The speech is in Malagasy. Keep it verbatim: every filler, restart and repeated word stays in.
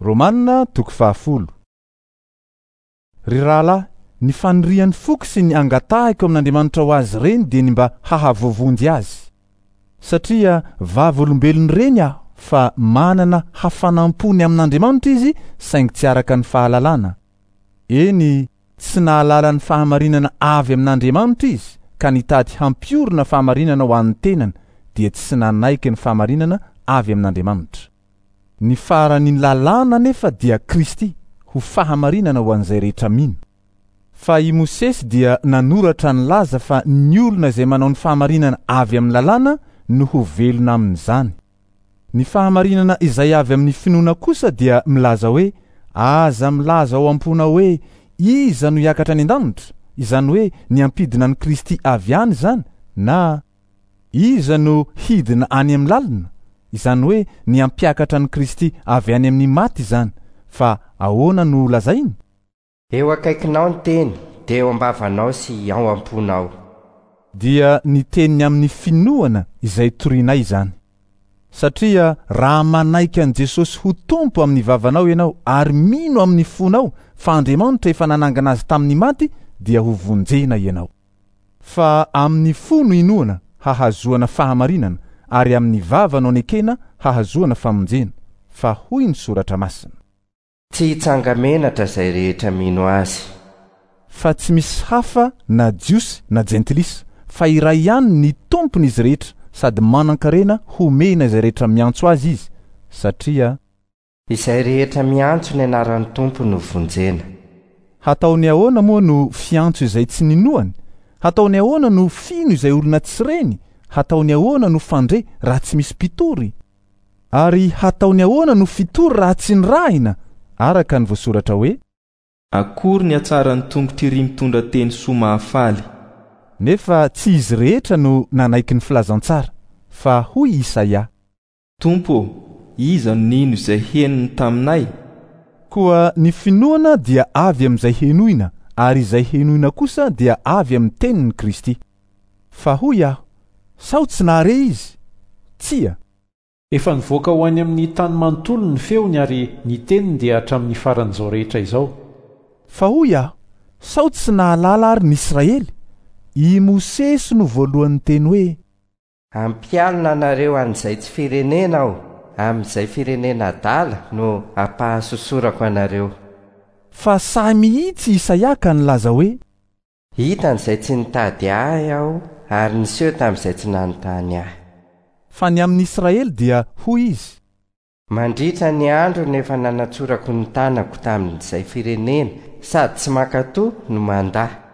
Romana toko fahafolo. Ry rahalahy, ny fanirian'ny foko sy ny angatahiko amin'Andriamanitra ho azy ireny dia ny mba hahavoavonjy azy. Satria vavolombelon'ireny aho fa manana hafanam-po ny amin'Andriamanitra izy, saingy tsy araka ny fahalalana. Eny, tsy nahalala ny fahamarinana avy amin'Andriamanitra izy, ka nitady hampiorina fahamarinana ho an'ny tenany, dia tsy nanaiky ny fahamarinana avy amin'Andriamanitra. Ny faran'ny lalàna nefa dia Kristy ho fahamarinana ho an'izay rehetra mino. Fa i Mosesy dia nanoratra ny laza fa ny olona izay manao ny fahamarinana avy amin'ny lalàna no ho velona amin'izany. Ny fahamarinana izay avy amin'ny finoana kosa dia milaza hoe aza milaza ao am-ponao hoe iza no hiakatra any an-danitra, izany hoe ny hampidina an'i Kristy avy any izany, na iza no hidina any amin'ny lalina, izany hoe ny hampiakatra an'i Kristy avy any amin'ny maty izany. Fa ahoana no lazainy? Eo akaikinao ny teny, dia eo am-bavanao sy ao am-ponao. Dia ny teniny amin'ny finoana izay torinay izany. Satria raha manaiky an'i Jesosy ho Tompo amin'ny vavanao ianao ary mino amin'ny fonao fa Andriamanitra efa nanangana azy tamin'ny maty, dia ho vonjena ianao. Fa amin'ny fo no inoana hahazoana fahamarinana, ary amin'ny vava no anekena hahazoana famonjena. Fa hoy ny soratra masina: Tsy hitsanga-menatra izay rehetra mino azy. Fa tsy misy hafa na Jiosy na Jentilisa, fa iray ihany ny Tompony izy rehetra, sady manan-karena homena izay rehetra miantso azy izy, satria izay rehetra miantso ny anaran'ny Tompo no vonjena. Hataony ahoana moa no fiantso izay tsy ninoany? Hataony ahoana no fino izay olona tsy reny? Hataony ahoana no fandre raha tsy misy mpitory? Ary hataony ahoana no fitory raha tsy nirahina? Araka ny voasoratra hoe: Akory ny hatsaran'ny tongotr'iry mitondra teny soa mahafaly. Nefa tsy izy rehetra no nanaiky ny filazantsara, fa hoy Isaia: Tompo, iza no nino izay henony taminay? Koa ny finoana dia avy amin'izay henoina, ary izay henoina kosa dia avy amin'ny tenin'i Kristy. Fa hoy aho, sao tsy nahare izy? Tsia. Efa nivoaka ho any amin'ny tany manontolo ny feony, ary ny teniny dia hatramin'ny faran'izao rehetra izao. Fa hoy aho, sao tsy nahalala ary ny Israely? I Mosesy no voalohany teny hoe: Ampialona anareo an'izay tsy firenena aho, amin'izay firenena adala no ampahasosorako anareo. Fa sahy mihitsy Isaia ka nilaza hoe: Hitan'izay tsy nitady ahy aho, ary niseho tamin'izay tsy nanontany ahy. Fa ny amin'ny Israely dia hoy izy: Mandritra ny andro nefa nanatsorako ny tanako tamin'izay firenena sady tsy mankatò no mandà.